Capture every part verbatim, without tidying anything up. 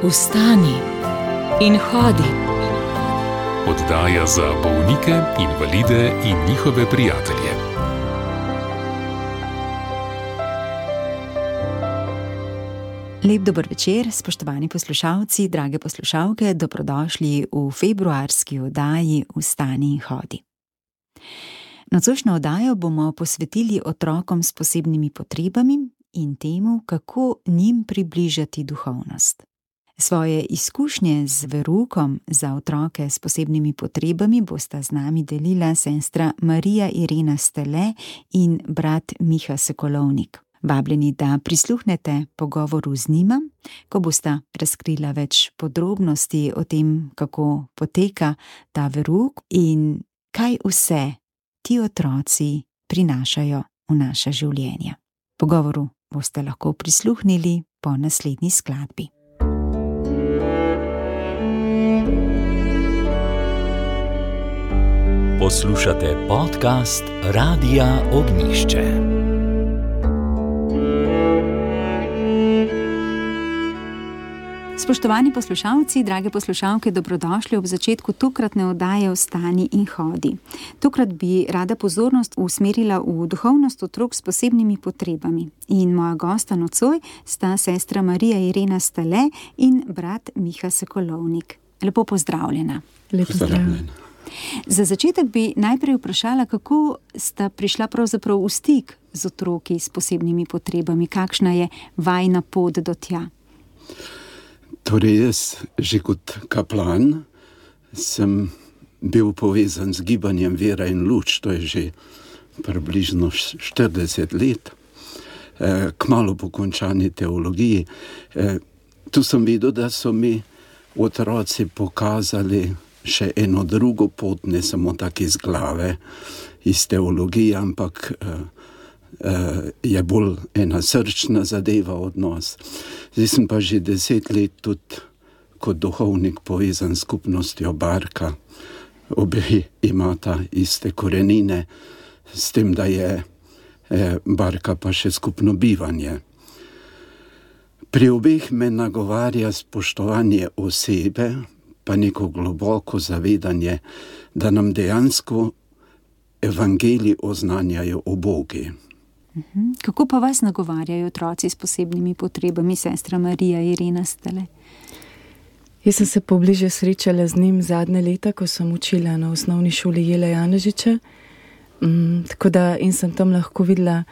Vstani in hodi. Oddaja za bolnike, invalide in njihove prijatelje. Lep dober večer, spoštovani poslušalci, drage poslušalke, dobrodošli v februarski oddaji Vstani in hodi. Nocojšnjo oddajo bomo posvetili otrokom s posebnimi potrebami in temu, kako njim približati duhovnost. Svoje izkušnje z veroukom za otroke s posebnimi potrebami bosta z nami delila sestra Marija Irena Stele in brat Miha Sokolovnik. Vabljeni, da prisluhnete pogovoru z njima, ko bosta razkrila več podrobnosti o tem, kako poteka ta verouk in kaj vse ti otroci prinašajo v naša življenja. Pogovoru boste lahko prisluhnili po naslednji skladbi. Poslušate podcast Radia Ognjišče. Spoštovani poslušalci, drage poslušalke, dobrodošli ob začetku tokratne oddaje Vstani in hodi. Tokrat bi rada pozornost usmerila v duhovnost otrok s posebnimi potrebami. In moja gosta nocoj sta sestra Marija Irena Stele in brat Miha Sokolovnik. Lepo pozdravljena. Lepo pozdravljena. Za začetek bi najprej vprašala, kako sta prišla pravzaprav v stik z otroki s posebnimi potrebami, kakšna je vajina pot do tja? Torej jaz, že kot kaplan, sem bil povezan z gibanjem Vera in luč, to je že približno štirideset let, kmalu po končani teologiji. Tu sem videl, da so mi otroci pokazali še eno drugo pot, ne samo tak iz glave, iz teologije, ampak je bolj ena srčna zadeva odnos. Zdaj sem pa že deset let tudi kot duhovnik povezan s skupnostjo Barka. Obe imata iste korenine, s tem, da je Barka pa še skupno bivanje. Pri obeh me nagovarja spoštovanje osebe, pa neko globoko zavedanje, da nam dejansko evangeliji oznanjajo o Bogu. Kako pa vas nagovarjajo otroci s posebnimi potrebami, sestra Marija Irena Stele? Jaz sem se pobliže srečala z njim zadnje leta, ko sem učila na osnovni šoli Jela Janežiča. Mm, tako da in sem tam lahko videla,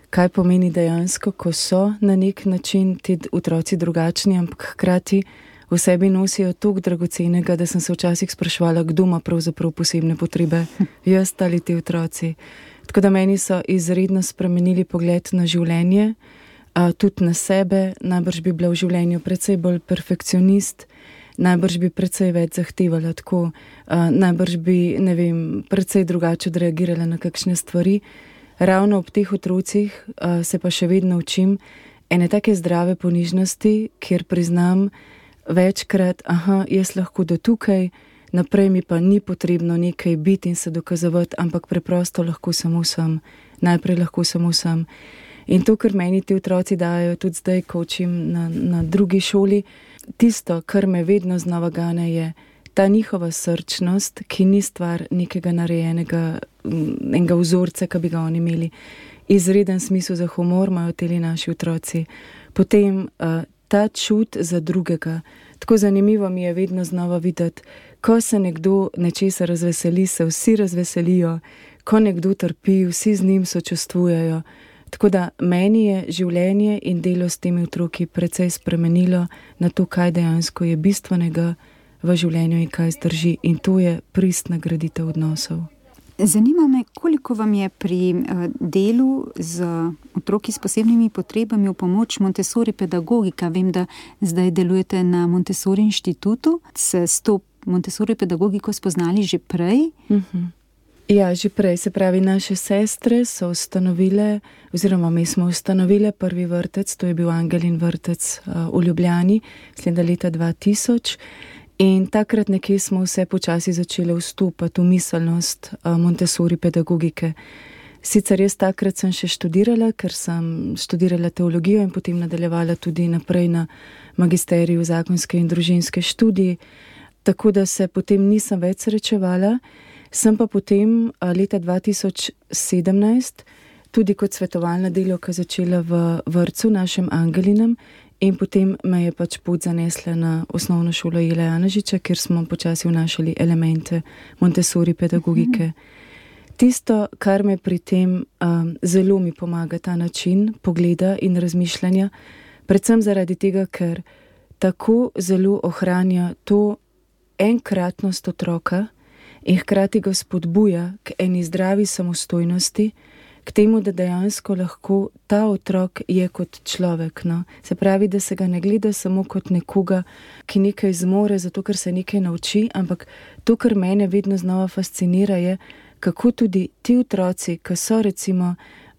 kaj pomeni dejansko, ko so na nek način ti otroci drugačni, ampak hkrati v sebi nosijo toliko dragocenega, da sem se včasih spraševala, kdo ima pravzaprav posebne potrebe, jaz ali ti otroci. Tako da meni so izredno spremenili pogled na življenje, a, tudi na sebe. Najbrž bi bila v življenju precej bolj perfekcionist, najbrž bi precej več zahtevala tako, a, najbrž bi, ne vem, precej drugače odreagirala na kakšne stvari. Ravno ob teh otrocih a, se pa še vedno učim ene take zdrave ponižnosti, kjer priznam večkrat, aha, jaz lahko do tukaj, naprej mi pa ni potrebno nekaj biti in se dokazovati, ampak preprosto lahko samo sem, najprej lahko samo sem. In to, kar meni ti otroci dajo, tudi zdaj, ko učim na, na drugi šoli, tisto, kar me vedno znova gane, je ta njihova srčnost, ki ni stvar nekega narejenega, enega vzorca, ki bi ga oni imeli. Izreden smisel za humor imajo teli naši otroci. Potem uh, ta čut za drugega. Tako zanimivo mi je vedno znova videti, ko se nekdo nečesa razveseli, se vsi razveselijo, ko nekdo trpi, vsi z njim sočustvujejo. Tako da meni je življenje in delo s temi otroki precej spremenilo na to, kaj dejansko je bistvenega v življenju in kaj zdrži. In to je pristna graditev odnosov. Zanima me, koliko vam je pri delu z otroki s posebnimi potrebami v pomoč Montessori pedagogika. Vem, da zdaj delujete na Montessori inštitutu. Se s to Montessori pedagogiko spoznali že prej? Uh-huh. Ja, že prej. Se pravi, naše sestre so ustanovile, oziroma mi smo ustanovile prvi vrtec, to je bil Angelin vrtec uh, v Ljubljani, sleda leta dva tisoč. In takrat nekje smo vse počasi začeli vstopati v miselnost uh, Montessori pedagogike. Sicer jaz takrat sem še študirala, ker sem študirala teologijo in potem nadaljevala tudi naprej na magisteriju zakonske in družinske študije, tako da se potem nisem več srečevala. Sem pa potem leta dva tisoč sedemnajst tudi kot svetovalna delavka začela v vrtcu našem Angelinem in potem me je pač pot zanesla na osnovno šolo Jela Janežiča, kjer smo počasi vnašali elemente Montessori pedagogike. Tisto, kar me pri tem um, zelo mi pomaga, ta način pogleda in razmišljanja, predvsem zaradi tega, ker tako zelo ohranja to enkratnost otroka in hkrati ga spodbuja k eni zdravi samostojnosti, k temu, da dejansko lahko ta otrok je kot človek. No? Se pravi, da se ga ne gleda samo kot nekoga, ki nekaj zmore, zato ker se nekaj nauči, ampak to, kar mene vedno znova fascinira, je, kako tudi ti otroci, ki so recimo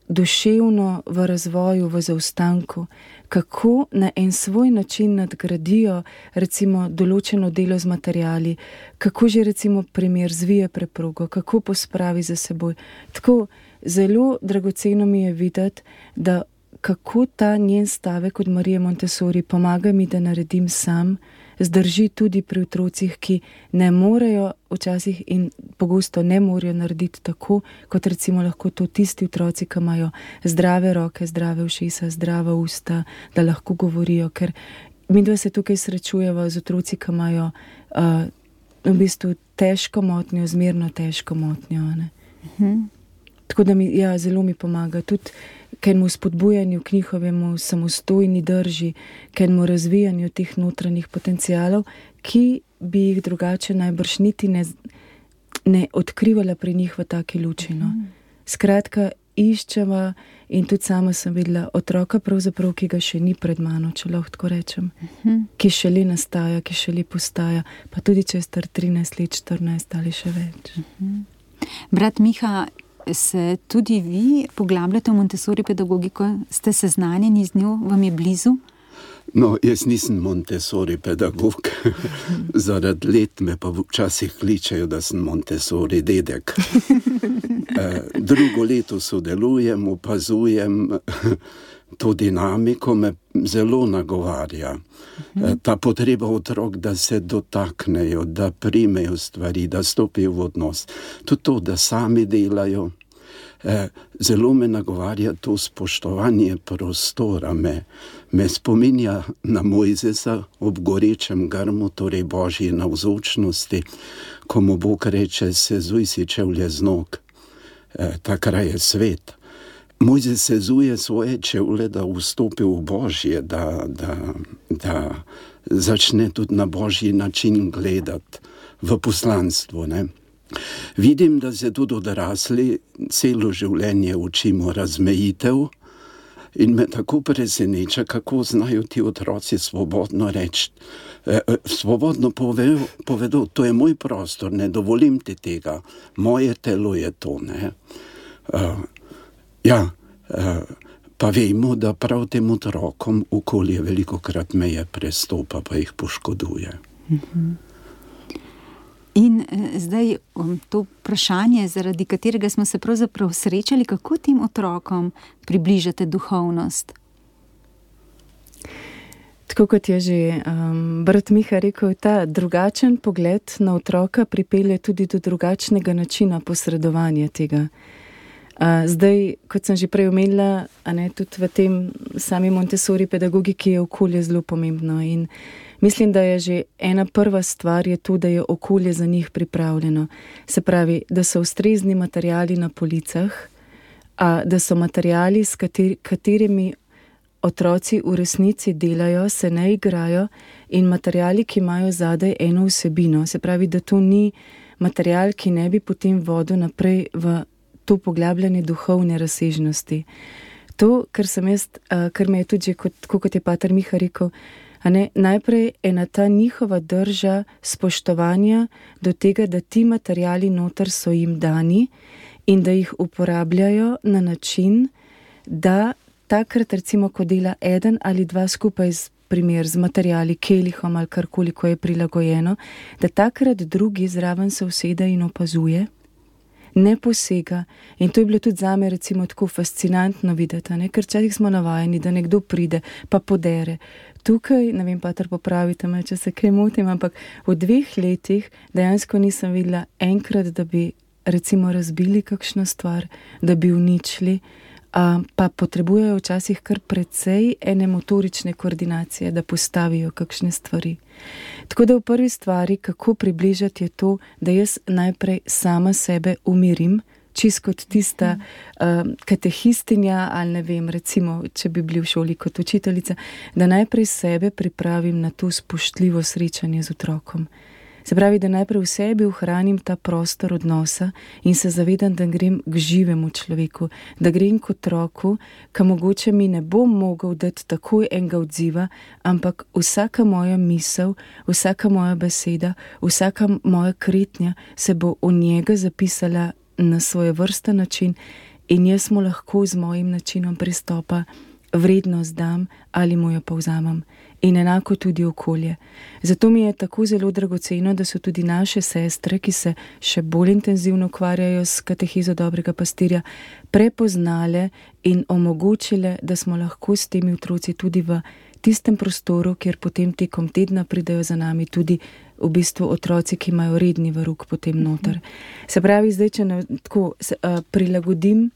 duševno v razvoju, v zaostanku, kako na en svoj način nadgradijo recimo določeno delo z materiali, kako že recimo primer zvije preprogo, kako pospravi za seboj. Tako zelo dragoceno mi je videti, da kako ta njen stavek od Marije Montessori pomaga mi, da naredim sam, zdrži tudi pri otrocih, ki ne morejo včasih in pogosto ne morejo narediti tako, kot recimo lahko to tisti otroci, ki imajo zdrave roke, zdrave ušesa, zdrava usta, da lahko govorijo, ker midva se tukaj srečujeva z otroci, ki imajo uh, v bistvu težko motnjo, zmerno težko motnjo. Ne? Mhm. Tako da mi, ja, zelo mi pomaga tudi k enemu spodbujanju, k njihovemu samostojni drži, k enemu razvijanju teh notranjih potencialov, ki bi jih drugače najbrž niti ne, ne odkrivala pri njih v taki luči. No. Skratka, iščeva in tudi sama sem videla otroka pravzaprav, ki ga še ni pred mano, če lahko tako rečem, uh-huh. ki šele nastaja, ki šele postaja, pa tudi če je star trinajst let, štirinajst ali še več. Uh-huh. Brat Miha, se tudi vi poglabljate v Montessori pedagogiko? Ste seznanjeni z njo? Vam je blizu? No, jaz nisem Montessori pedagog. Zaradi let me pa včasih kličejo, da sem Montessori dedek. Drugo leto sodelujem, opazujem to dinamiko, me zelo nagovarja. Ta potreba otrok, da se dotaknejo, da primejo stvari, da stopijo v odnos. Tudi to, da sami delajo. Zelo me nagovarja to spoštovanje prostora. Me, me spominja na Mojzesa ob gorečem grmu, torej Božji navzočnosti, ko mu Bog reče, sezuj si čevlje z nog. Ta kraj je svet. Mojzes sezuje svoje čevlje, da vstopi v Božje, da, da, da začne tudi na Božji način gledati v poslanstvo. Ne? Vidim, da se tudi odrasli celo življenje učimo razmejitev in me tako preseneča, kako znajo ti otroci svobodno reči, eh, svobodno povedo, povedo, to je moj prostor, ne dovolim ti tega, moje telo je to. Ne? Uh, ja, uh, pa vemo, da prav tem otrokom okolje velikokrat meje prestopa, pa jih poškoduje. Mhm. In eh, zdaj um, to vprašanje, zaradi katerega smo se pravzaprav srečali, kako tem otrokom približate duhovnost? Tako kot je že um, brat Miha rekel, ta drugačen pogled na otroka pripelje tudi do drugačnega načina posredovanja tega. Uh, zdaj, kot sem že prej omenila, a ne, tudi v tem sami Montessori pedagogiki je okolje zelo pomembno in mislim, da je že ena prva stvar je to, da je okolje za njih pripravljeno. Se pravi, da so ustrezni materiali na policah, a da so materiali, s kateri, katerimi otroci v resnici delajo, se ne igrajo in materiali, ki imajo zadaj eno vsebino. Se pravi, da to ni material, ki ne bi potem vodil naprej v to poglabljanje duhovne razsežnosti. To, kar sem jaz, kar me je tudi že, kot, kot je pater Miha rekel, a ne, najprej ena ta njihova drža spoštovanja do tega, da ti materiali noter so jim dani in da jih uporabljajo na način, da takrat recimo, ko dela eden ali dva skupaj z primer z materiali, kelihom ali karkoli, ko je prilagojeno, da takrat drugi zraven se usede in opazuje ne posega. In to je bilo tudi zame recimo tako fascinantno videti, ne? Ker včasih smo navajeni, da nekdo pride pa podere. Tukaj, ne vem, pater, popravite me, če se kaj motim, ampak v dveh letih dejansko nisem videla enkrat, da bi recimo razbili kakšno stvar, da bi uničili, a, pa potrebujejo včasih kar precej ene motorične koordinacije, da postavijo kakšne stvari. Tako da v prvi stvari, kako približati, je to, da jaz najprej sama sebe umirim, čist kot tista uh, katehistinja ali ne vem, recimo, če bi bili v šoli kot učiteljica, da najprej sebe pripravim na to spoštljivo srečanje z otrokom. Se pravi, da najprej v sebi ohranim ta prostor odnosa in se zavedam, da grem k živemu človeku, da grem k otroku, ki mogoče mi ne bom mogel dati takoj enega odziva, ampak vsaka moja misel, vsaka moja beseda, vsaka moja kretnja se bo v njega zapisala na svoj vrsten način in jaz mu lahko z mojim načinom pristopa vrednost dam ali mu jo povzamem. In enako tudi okolje. Zato mi je tako zelo dragoceno, da so tudi naše sestre, ki se še bolj intenzivno ukvarjajo s katehizo dobrega pastirja, prepoznale in omogočile, da smo lahko s temi otroci tudi v tistem prostoru, kjer potem tekom tedna pridejo za nami tudi v bistvu otroci, ki imajo redni verouk potem noter. Se pravi, zdaj, če ne, tako se, uh, prilagodim,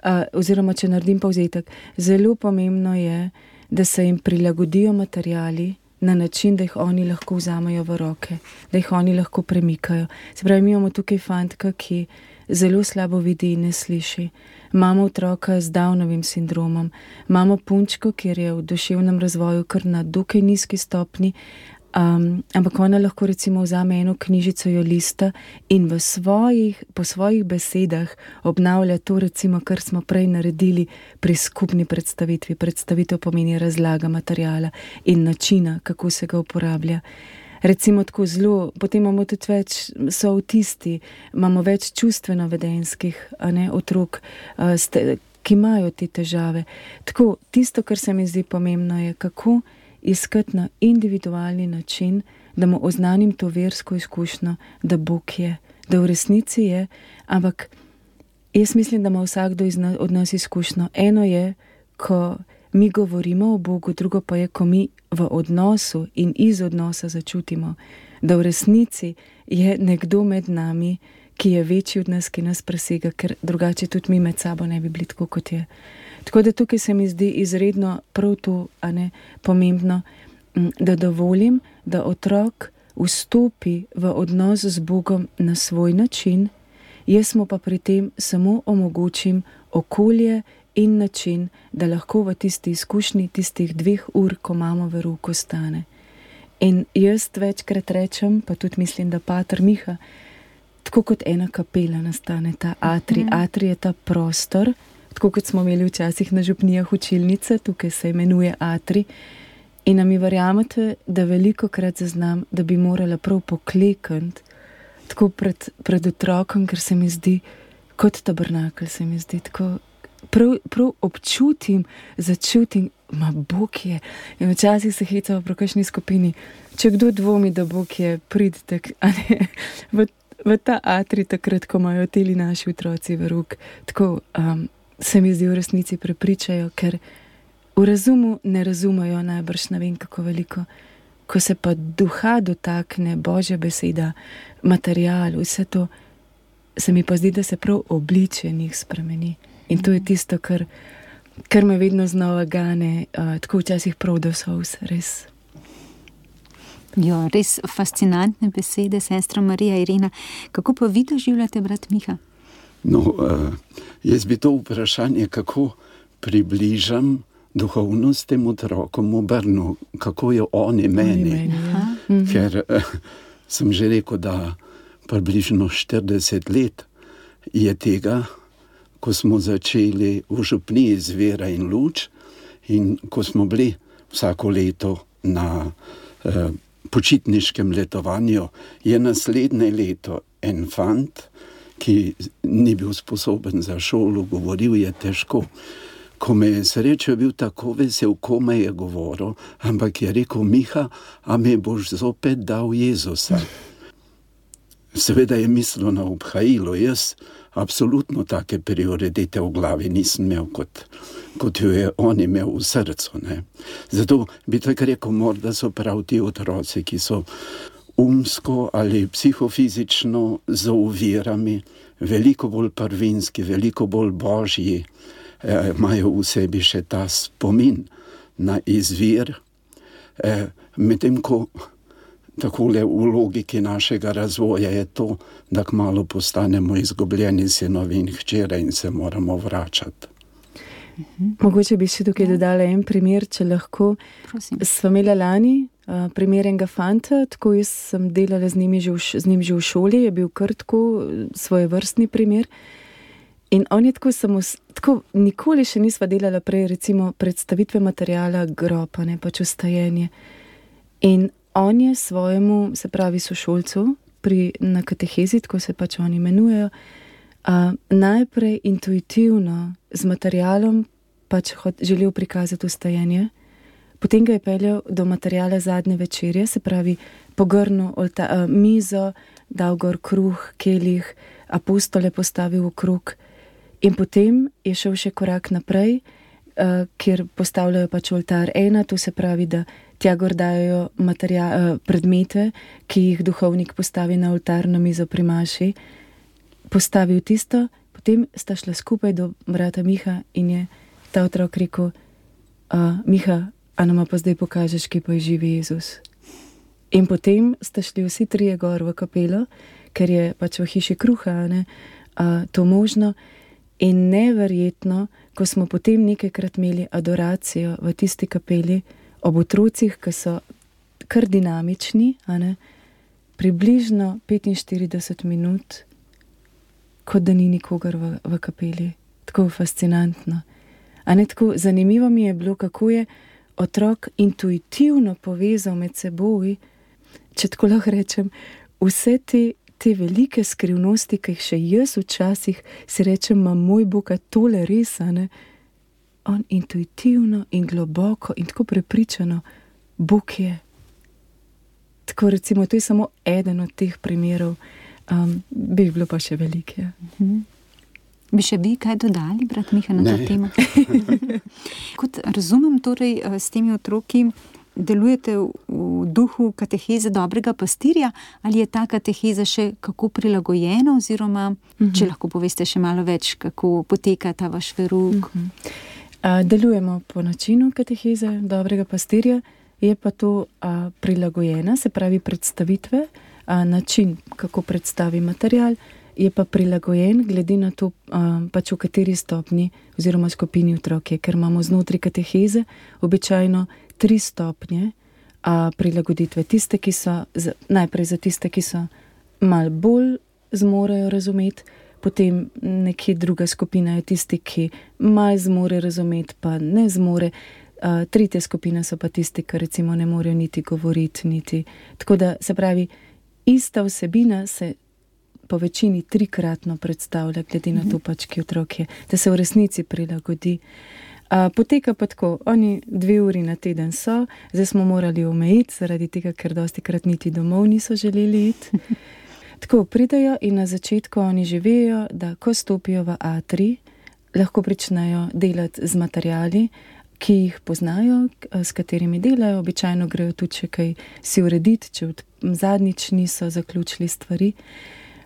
uh, oziroma če naredim povzetek, zelo pomembno je, da se jim prilagodijo materiali na način, da jih oni lahko vzamejo v roke, da jih oni lahko premikajo. Se pravi, mi imamo tukaj fantka, ki zelo slabo vidi in ne sliši. Imamo otroka z Downovim sindromom, imamo punčko, kjer je v duševnem razvoju kar na dokaj nizki stopni, Um, ampak ona lahko recimo vzame eno knjižico, jo lista in v svojih, po svojih besedah obnavlja to recimo, kar smo prej naredili pri skupni predstavitvi. Predstavitev pomeni razlaga materijala in načina, kako se ga uporablja. Recimo tako zelo, potem imamo tudi več, so avtisti, imamo več čustveno-vedenskih, a ne, otrok, uh, ste, ki imajo te težave. Tako, tisto, kar se mi zdi pomembno, je kako iskati na individualni način, da mu oznanim to versko izkušnjo, da Bog je, da v resnici je, ampak jaz mislim, da ima vsakdo od nas izkušnjo. Eno je, ko mi govorimo o Bogu, drugo pa je, ko mi v odnosu in iz odnosa začutimo, da v resnici je nekdo med nami, ki je večji od nas, ki nas presega, ker drugače tudi mi med sabo ne bi bili tako, kot je. Tako da tukaj se mi zdi izredno prav to, a ne, pomembno, da dovolim, da otrok vstopi v odnos z Bogom na svoj način, jaz mu pa pri tem samo omogočim okolje in način, da lahko v tisti izkušnji tistih dveh ur, ko imamo verouk, ostane. In jaz večkrat rečem, pa tudi mislim, da pater Miha, tako kot ena kapela nastane ta atrij. Atrij je ta prostor, tako kot smo imeli včasih na župnijah učilnice, tukaj se imenuje atrij. In nam mi verjamete, da veliko krat zaznam, da bi morala prav poklekniti tako pred, pred otrokom, ker se mi zdi kot tabernakelj, se mi zdi tako, prav, prav občutim, začutim, ma Bog je. In včasih se hecamo pri kakšni skupini, če kdo dvomi, da Bog je, pridite, a ne, v, v ta atrij takrat, ko imajo teli naši otroci verouk, tako um, se mi zdi v resnici prepričajo, ker v razumu ne razumejo najbrž ne vem kako veliko. Ko se pa duha dotakne, Božja beseda, material, vse to, se mi pa zdi, da se prav obličje njih spremeni. In to je tisto, kar, kar me vedno znova gane, uh, tako včasih prav do solz, res. Jo, res fascinantne besede, sestra Marija Irena. Kako pa vi doživljate, brat Miha? No, uh, jaz bi to vprašanje, kako približam duhovnost tem otrokom obrnil, kako jo oni meni. meni ja. Ker uh, sem že rekel, da približno štirideset let je tega, ko smo začeli v župniji z Vera in luč in ko smo bili vsako leto na uh, počitniškem letovanju, je naslednje leto en fant, ki ni bil sposoben za šolo, govoril je težko. Ko me je srečo bil tako vesel, ko me je govoril, ampak je rekel, Miha, a me boš zopet dal Jezusa. Seveda je mislil na obhajilo, jaz absolutno take prioritete v glavi nisem imel, kot, kot jo je on imel v srcu. Ne. Zato bi tako rekel, morda so prav ti otroci, ki so umsko ali psihofizično z ovirami, veliko bolj prvinski, veliko bolj božji, eh, imajo v sebi še ta spomin na izvir, eh, medtem ko takole v logiki našega razvoja je to, da kmalu postanemo izgubljeni sinovi in hčere in se moramo vračati. Mogoče bi še tukaj dodala en primer, če lahko. Prosim. Sva imela lani uh, primer enega fanta, tako jaz sem delala z njim že v, z njim že v šoli, je bil kar tako svojevrstni primer. In on je tako samo, tako nikoli še nisva delala prej, recimo predstavitve materijala gropa, ne pač ustajenje. In on je svojemu, se pravi sošolcu, pri, na katehezi, tako se pač oni imenujejo, uh, najprej intuitivno z materialom pač hod, želel prikazati ustajenje, potem ga je peljal do materijala zadnje večerje, se pravi pogrnil olta, uh, mizo, dal gor kruh, kelih, apostole postavil v krog in potem je šel še korak naprej, uh, kjer postavljajo pač oltar ena, to se pravi, da tja gor dajo materia, predmete, ki jih duhovnik postavi na oltar na mizo pri maši, postavil tisto, potem sta šla skupaj do brata Miha in je ta otrok rekel, Miha, a nama pa zdaj pokažeš, kje pa je živi Jezus. In potem sta šli vsi trije gor v kapelo, ker je pač v hiši kruha, ne, a, to možno. In neverjetno, ko smo potem nekajkrat imeli adoracijo v tisti kapeli, ob otrocih, ki so kar dinamični, a ne, približno petinštirideset minut, kot da ni nikogar v, v kapeli. Tako fascinantno. A ne, tako zanimivo mi je bilo, kako je otrok intuitivno povezal med seboj, če tako lahko rečem, vse te, te velike skrivnosti, ki jih še jaz včasih si rečem, ma moj Bog, a tole res, a ne, on intuitivno in globoko in tako prepričano, Bog je. Tako recimo, to je samo eden od teh primerov, um, bi bilo pa še velike. Mhm. Bi še vi kaj dodali, brat Miha, na Ne. to temo? Kot razumem, torej s temi otroki delujete v, v duhu kateheze dobrega pastirja, ali je ta kateheza še kako prilagojena, oziroma, mhm. če lahko poveste še malo več, kako poteka ta vaš verouk? Mhm. A, delujemo po načinu kateheze dobrega pastirja, je pa to a, prilagojena, se pravi predstavitve, a, način, kako predstavi material, je pa prilagojen glede na to, a, pač v kateri stopni oziroma skupini otrok je, ker imamo znotraj kateheze običajno tri stopnje a, prilagoditve. Tiste, ki so, z, najprej za tiste, ki so malo bolj zmorejo razumeti, potem nekje druga skupina je tisti, ki malo zmore razumeti, pa ne zmore. Uh, tretja skupina so pa tisti, ki recimo ne morejo niti govoriti, niti. Tako da, se pravi, ista vsebina se po večini trikratno predstavlja, glede na to pač, ki otrok je, da se v resnici prilagodi. Uh, poteka pa tako, oni dve uri na teden so, zdaj smo morali omejiti, zaradi tega, ker dosti krat niti domov niso želeli iti. Tako pridejo in na začetku oni že vejo, da ko stopijo v atrij, lahko pričnejo delati z materiali, ki jih poznajo, s katerimi delajo. Običajno grejo tudi še kaj si urediti, če od zadnjič niso zaključili stvari.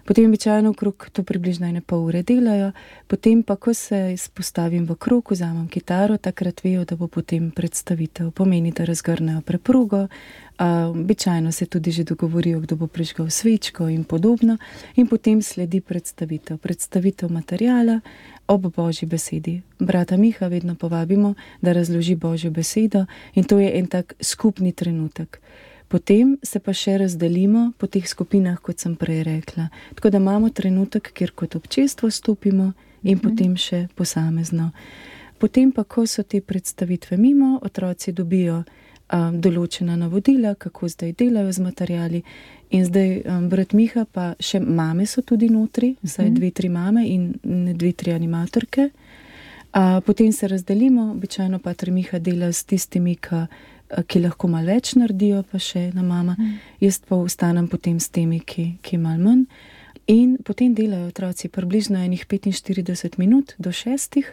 Potem običajno okrog to približno ene pol ure delajo, potem pa, ko se spostavim v krog, vzamem kitaro, takrat vejo, da bo potem predstavitev. Pomeni, da razgrnejo preprogo, uh, običajno se tudi že dogovorijo, kdo bo prižgal svečko in podobno, in potem sledi predstavitev. Predstavitev materijala ob Božji besedi. Brata Miha vedno povabimo, da razloži Božjo besedo in to je en tak skupni trenutek. Potem se pa še razdelimo po teh skupinah, kot sem prej rekla. Tako da imamo trenutek, kjer kot občestvo stopimo in mhm. potem še posamezno. Potem pa, ko so te predstavitve mimo, otroci dobijo um, določena navodila, kako zdaj delajo z materijali. In zdaj um, brat Miha pa še mame so tudi notri, vsaj dve, tri mame in dve, tri animatorke. Uh, potem se razdelimo, običajno pater Miha dela s tistimi, ki ki lahko malo več naredijo, pa še ena mama. Mm. Jaz pa ostanem potem s temi, ki, ki malo manj. In potem delajo otroci približno enih petinštirideset minut do šestih.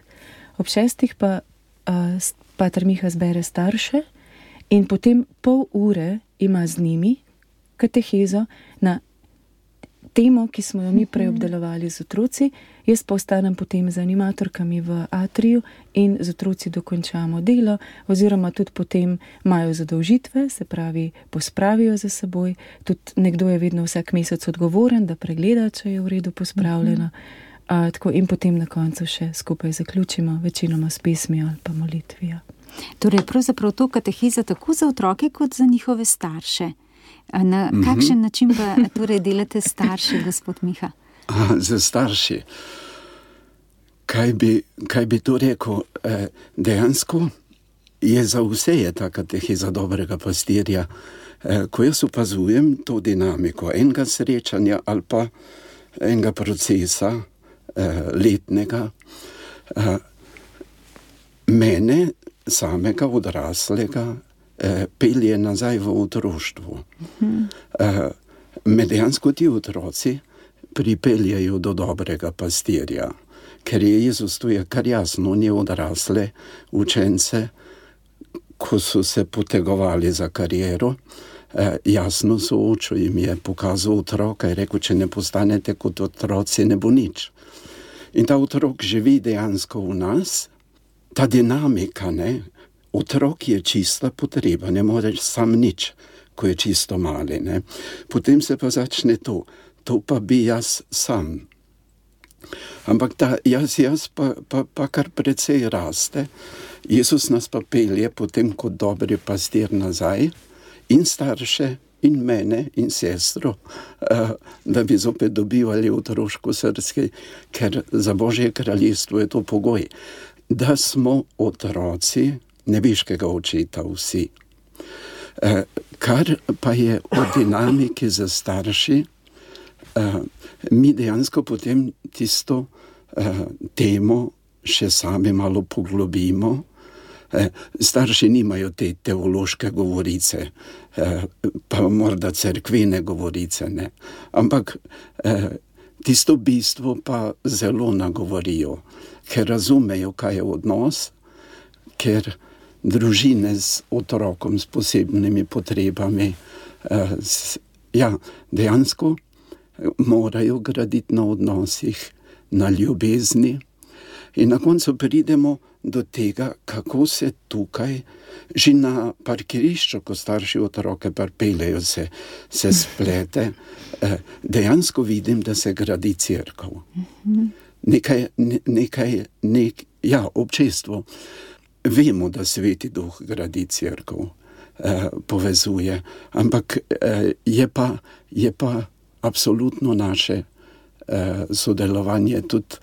Ob šestih pa uh, pater Miha zbere starše in potem pol ure ima z njimi katehezo na temo, ki smo jo mi prej obdelovali z otroci. Jaz pa ostanem potem z animatorkami v atriju in z otroci dokončamo delo, oziroma tudi potem imajo zadolžitve, se pravi, pospravijo za seboj. Tudi nekdo je vedno vsak mesec odgovoren, da pregleda, če je v redu pospravljeno. A, tako, in potem na koncu še skupaj zaključimo, večinoma s pesmijo ali pa molitvijo. Torej, pravzaprav to katehiza tako za otroke, kot za njihove starše. Na kakšen način pa torej delate starši, gospod Miha? A, za starši. Kaj bi, kaj bi to rekel? E, dejansko je za vse je ta katehiza dobrega pastirja. E, ko jaz opazujem to dinamiko enega srečanja ali pa enega procesa e, letnega, e, mene samega odraslega pelje nazaj v otroštvo. Hmm. Me dejansko ti otroci pripeljajo do dobrega pastirja, ker je Jezus tu je kar jasno, ni odrasle učence, ko so se potegovali za kariero, jasno soočil jim je pokazal otroka in rekel, če ne postanete kot otroci, ne bo nič. In ta otrok živi dejansko v nas, ta dinamika, ne, otrok je čista potreba, ne moreš sam nič, ko je čisto mali. Ne. Potem se pa začne to, to pa bi jaz sam. Ampak ta jaz, jaz pa, pa, pa kar precej raste. Jezus nas pa pelje potem kot dobri pastir nazaj in starše in mene in sestro, da bi zopet dobivali otroško srce, ker za Božje kraljestvo je to pogoj, da smo otroci nebeškega očeta vsi. Eh, kar pa je o dinamiki za starši, eh, mi dejansko potem tisto eh, temo še sami malo poglobimo. Eh, starši nimajo te teološke govorice, eh, pa morda cerkvene govorice, ne. Ampak eh, tisto bistvo pa zelo nagovorijo, ker razumejo, kaj je odnos, ker družine z otrokom s posebnimi potrebami, eh, s, ja, dejansko morajo graditi na odnosih, na ljubezni. In na koncu pridemo do tega, kako se tukaj, že na parkirišču, ko starši otroke pripeljejo, se, se splete, eh, dejansko vidim, da se gradi cerkev. Nekaj, ne, nekaj, nek, ja, občestvo. Vemo, da Sveti Duh gradi cerkev, eh, povezuje, ampak eh, je, pa, je pa absolutno naše eh, sodelovanje tudi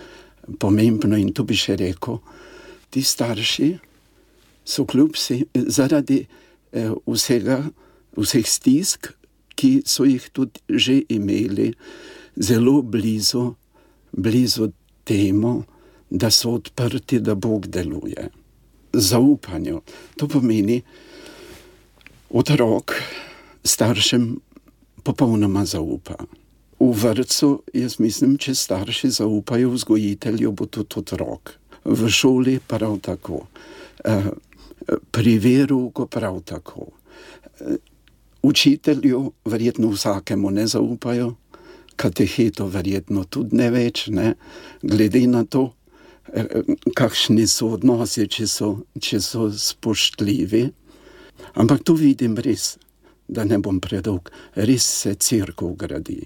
pomembno in to bi še rekel, ti starši so kljub si, zaradi eh, vsega, vseh stisk, ki so jih tudi že imeli, zelo blizu, blizu temu, da so odprti, da Bog deluje. Zaupanju. To pomeni, otrok staršem popolnoma zaupa. V vrtcu, jaz mislim, če starši zaupajo vzgojitelju, bo tudi otrok. V šoli prav tako. Pri verouku prav tako. Učitelju verjetno vsakemu ne zaupajo, kateheto verjetno tudi ne več, ne, glede na to, kakšni so odnosi, če so, če so spoštljivi. Ampak tu vidim res, da ne bom predolg, res se cerkev gradi.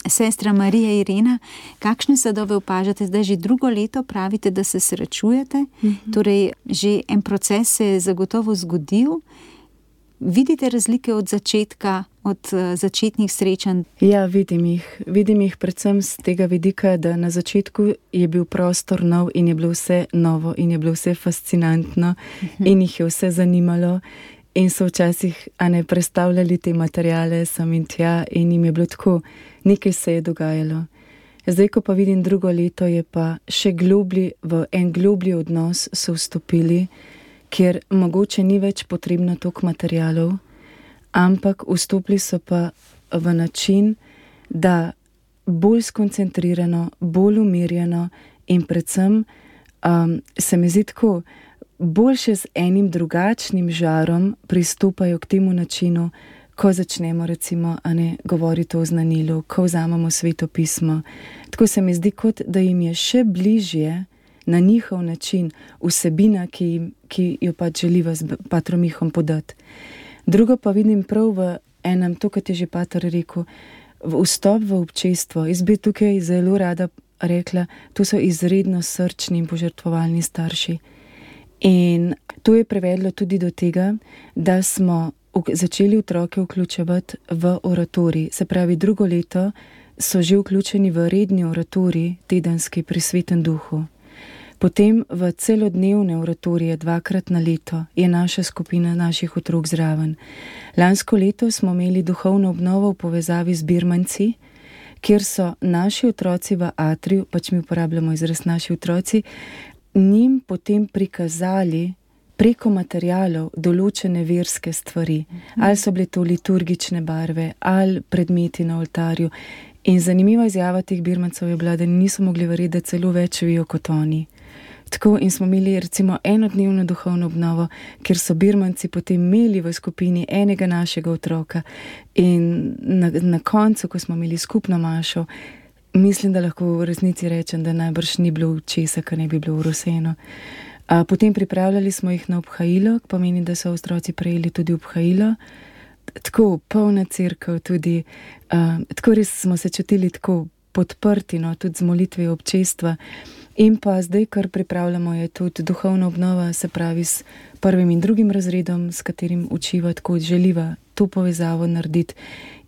Sestra Marija Irena, kakšne sadove opažate? Zdaj že drugo leto pravite, da se srečujete, mm-hmm. torej že en proces se je zagotovo zgodil. Vidite razlike od začetka, od uh, začetnih srečanj? Ja, vidim jih. Vidim jih predvsem z tega vidika, da na začetku je bil prostor nov in je bilo vse novo in je bilo vse fascinantno uh-huh. in jih je vse zanimalo in so včasih a ne predstavljali te materiale sem in tja in jim je bilo tako, nekaj se je dogajalo. Zdaj, ko pa vidim drugo leto, je pa še globlji, v en globlji odnos so vstopili, kjer mogoče ni več potrebno toliko materialov, ampak vstopili so pa v način, da bolj skoncentrirano, bolj umirjeno in predvsem um, se mi zdi tako, boljše z enim drugačnim žarom pristopajo k temu načinu, ko začnemo recimo a ne, govoriti o znanilu, ko vzamemo Sveto pismo. Tako se mi zdi, kot da jim je še bližje na njihov način vsebina, ki, ki jo pač želiva z patrom Mihom podati. Drugo pa vidim prav v enem, to, kot je že pater rekel, v vstop v občestvo. Jaz bi tukaj zelo rada rekla, to so izredno srčni in požrtvovalni starši. In to je privedlo tudi do tega, da smo začeli otroke vključevati v oratorij. Se pravi, drugo leto so že vključeni v redni oratorij, tedenski pri Svetem duhu. Potem v celodnevne oratorije dvakrat na leto je naša skupina naših otrok zraven. Lansko leto smo imeli duhovno obnovo v povezavi z Birmanci, kjer so naši otroci v atriju, pač mi uporabljamo izraz naši otroci, njim potem prikazali preko materialov določene verske stvari. Ali so bile to liturgične barve, ali predmeti na oltarju. In zanimiva izjava teh Birmancev je bila, da niso mogli verjeti, da celo več vijo kot oni. Tako, in smo imeli recimo enodnevno duhovno obnovo, kjer so Birmanci potem imeli v skupini enega našega otroka. In na, na koncu, ko smo imeli skupno mašo, mislim, da lahko v resnici rečem, da najbrž ni bilo česa, kar ne bi bilo uroseno. A potem pripravljali smo jih na obhajilo, pomeni, da so otroci prejeli tudi obhajilo. Tako polna cerkev tudi, uh, tako res smo se čutili tako podprti, no, tudi z molitvijo občestva. In pa zdaj, kar pripravljamo, je tudi duhovna obnova, se pravi s prvim in drugim razredom, s katerim učiva, tako želiva to povezavo narediti.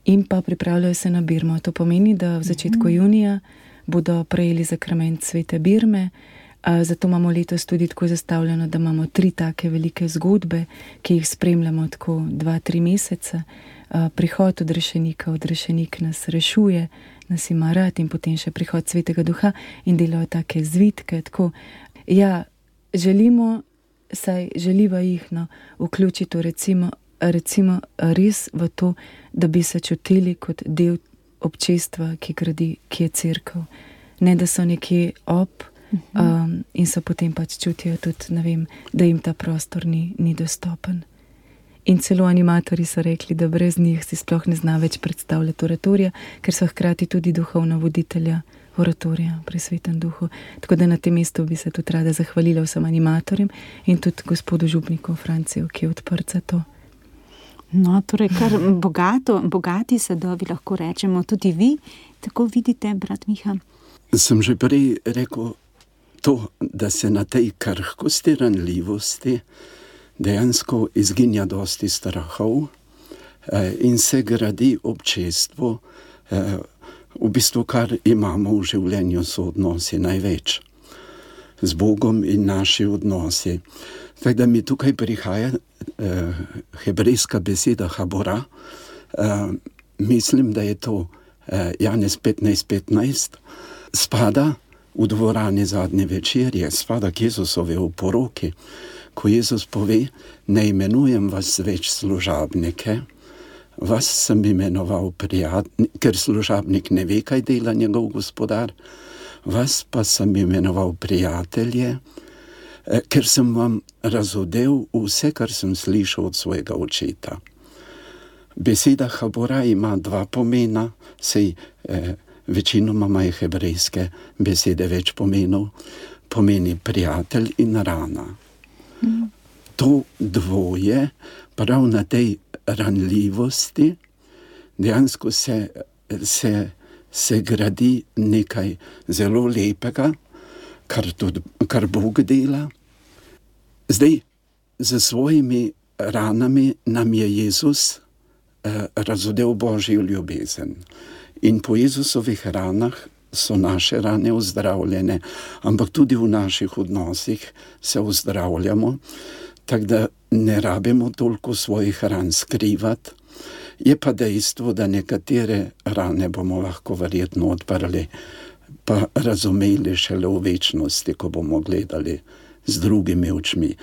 In pa pripravljajo se na Birmo. To pomeni, da v začetku junija bodo prejeli zakrament Svete Birme. Zato imamo letos tudi tako zastavljeno, da imamo tri take velike zgodbe, ki jih spremljamo tako dva, tri mesece. Prihod odrešenika, odrešenik nas rešuje, nas ima rad, in potem še prihod Svetega Duha in delajo take zvitke. Tako, ja, želimo, saj želiva jih no, vključiti recimo, recimo res v to, da bi se čutili kot del občestva, ki gradi, ki je cerkev. Ne, da so nekje ob, Um, in so potem pač čutijo tudi, ne vem, da jim ta prostor ni, ni dostopen. In celo animatorji so rekli, da brez njih si sploh ne zna več predstavljati oratorija, ker so hkrati tudi duhovna voditelja oratorija pri Svetem duhu. Tako da na tem mestu bi se tudi rada zahvalila vsem animatorjem in tudi gospodu župniku Franciju, ki je odprt za to. No, torej kar bogato, bogati sadovi, lahko rečemo, tudi vi tako vidite, brat Miha? Sem že prej rekel, to, da se na tej krhkosti, ranljivosti dejansko izginja dosti strahov eh, in se gradi občestvo, eh, v bistvu kar imamo v življenju, so odnosi največ z Bogom in naši odnosi. Tako da mi tukaj prihaja eh, hebrejska beseda habora, eh, mislim, da je to eh, Janez petnajst petnajst, spada v dvorani zadnje večerje, spada k Jezusovi oporoki, ko Jezus pove, ne imenujem vas več služabnike, vas sem imenoval prijatelj, ker služabnik ne ve, kaj dela njegov gospodar, vas pa sem imenoval prijatelje, ker sem vam razodel vse, kar sem slišal od svojega očeta. Beseda habora ima dva pomena, sej eh, večinoma imajo hebrejske besede več pomenov, pomeni prijatelj in rana. Mm. To dvoje, prav na tej ranljivosti, dejansko se, se, se gradi nekaj zelo lepega, kar, tudi, kar Bog dela. Zdaj, z svojimi ranami nam je Jezus eh, razodel Božjo ljubezen. In po Jezusovih ranah so naše rane ozdravljene, ampak tudi v naših odnosih se ozdravljamo, tako da ne rabimo toliko svojih ran skrivati. Je pa dejstvo, da nekatere rane bomo lahko verjetno odprli, pa razumeli šele v večnosti, ko bomo gledali z drugimi očmi.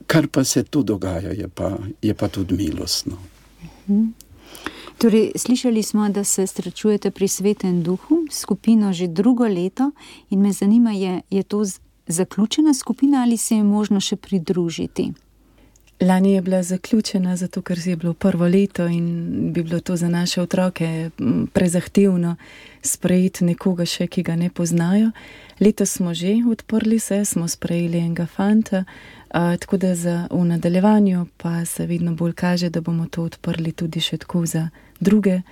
Kar pa se tu dogaja, je pa, je pa tudi milostno. Mhm. Torej, slišali smo, da se srečujete pri Svetem duhu, skupino že drugo leto, in me zanima, je, je to zaključena skupina ali se je možno še pridružiti? Lani je bila zaključena, zato ker je bilo prvo leto in bi bilo to za naše otroke prezahtevno sprejeti nekoga še, ki ga ne poznajo. Letos smo že odprli se, smo sprejeli enega fanta, a, tako da za, v nadaljevanju pa se vedno bolj kaže, da bomo to odprli tudi še tako za druge,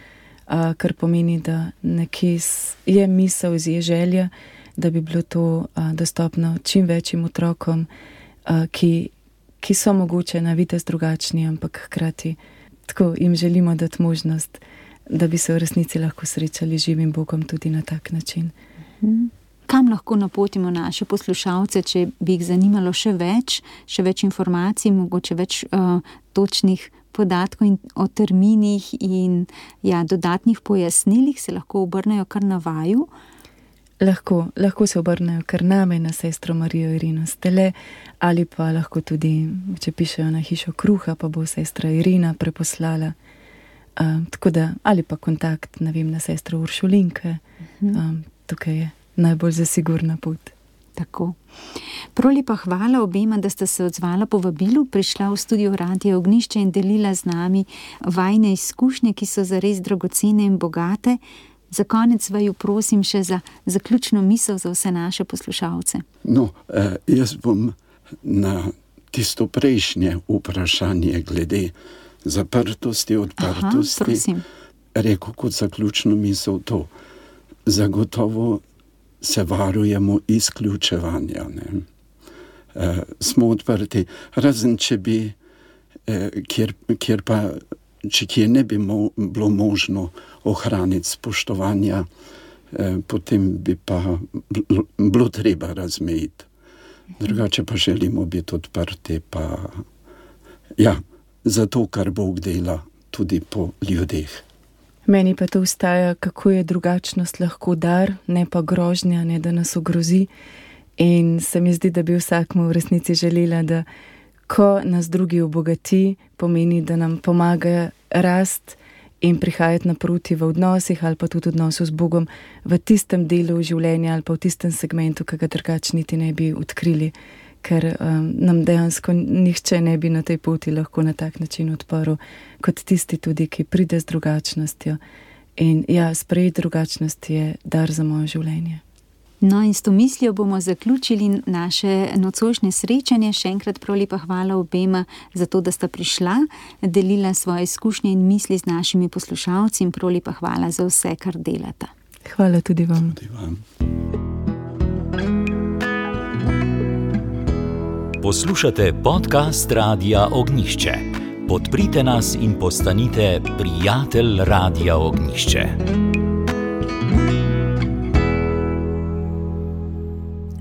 a, kar pomeni, da nekje je misel, je želja, da bi bilo to a, dostopno čim večjim otrokom, a, ki ki so mogoče na videz drugačni, ampak hkrati tako jim želimo dati možnost, da bi se v resnici lahko srečali z živim Bogom tudi na tak način. Kam lahko napotimo naše poslušalce, če bi jih zanimalo še več, še več informacij, mogoče več uh, točnih podatkov in o terminih in ja, dodatnih pojasnilih, se lahko obrnejo kar na vaju? Lahko, lahko se obrnejo kar name, na sestro Marijo Irino Stele, ali pa lahko tudi, če pišejo na Hišo kruha, pa bo sestra Irina preposlala. Um, tako da, ali pa kontakt, ne vem, na sestro Uršulinke. Um, tukaj je najbolj zasigurna pot. Tako. Prav lepa hvala obema, da sta se odzvala povabilu, prišla v studio Radia Ognjišče in delila z nami vajne izkušnje, ki so zares dragocene in bogate. Za konec vaju prosim še za zaključno misel za vse naše poslušalce. No, eh, jaz bom na tisto prejšnje vprašanje glede zaprtosti, odprtosti, Aha, rekel kot zaključno misel to. Zagotovo se varujemo izključevanja. Ne? Eh, smo odprti, razen če bi, eh, kjer, kjer pa če kje ne bi mo- bilo možno ohraniti spoštovanja, eh, potem bi pa bl- bilo treba razmejiti. Drugače pa želimo biti odprti, pa ja, zato, kar Bog dela tudi po ljudeh. Meni pa to ustaja, kako je drugačnost lahko dar, ne pa grožnja, ne da nas ogrozi. In se mi zdi, da bi vsakmu v resnici želela, da ko nas drugi obogati, pomeni, da nam pomaga rast in prihajati naproti v odnosih ali pa tudi odnosu z Bogom v tistem delu življenja ali pa v tistem segmentu, ki ga drugače niti ne bi odkrili, ker um, nam dejansko nihče ne bi na tej poti lahko na tak način odprl, kot tisti tudi, ki pride z drugačnostjo. In ja, sprejeti drugačnost je dar za moje življenje. No in s to mislijo bomo zaključili naše nocojšnje srečanje. Še enkrat prav lepa hvala obema za to, da sta prišla, delila svoje izkušnje in misli z našimi poslušalci in prav lepa hvala za vse, kar delata. Hvala tudi vam. Tudi vam. Poslušate podcast Radia Ognjišče. Podprite nas in postanite prijatelj Radia Ognjišče.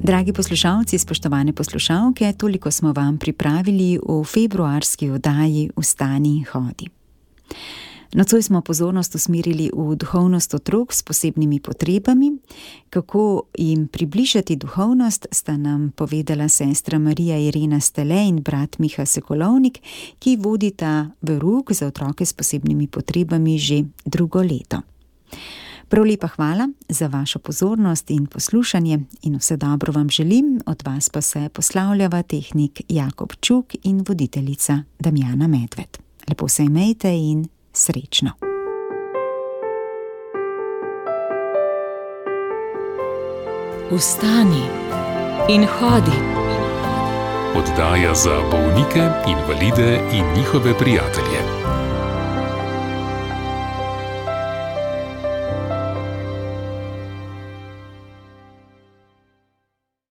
Dragi poslušalci, spoštovane poslušalke, toliko smo vam pripravili v februarski oddaji Vstani in hodi. Nocoj smo pozornost usmerili v duhovnost otrok s posebnimi potrebami. Kako jim približati duhovnost, sta nam povedala sestra Marija Irina Stele in brat Miha Sokolovnik, ki vodita verouk za otroke s posebnimi potrebami že drugo leto. Prav lepa hvala za vašo pozornost in poslušanje in vse dobro vam želim, od vas pa se poslavljava tehnik Jakob Čuk in voditeljica Damjana Medved. Lepo se imejte in srečno. Vstani in hodi. Oddaja za bolnike, invalide in njihove prijatelje.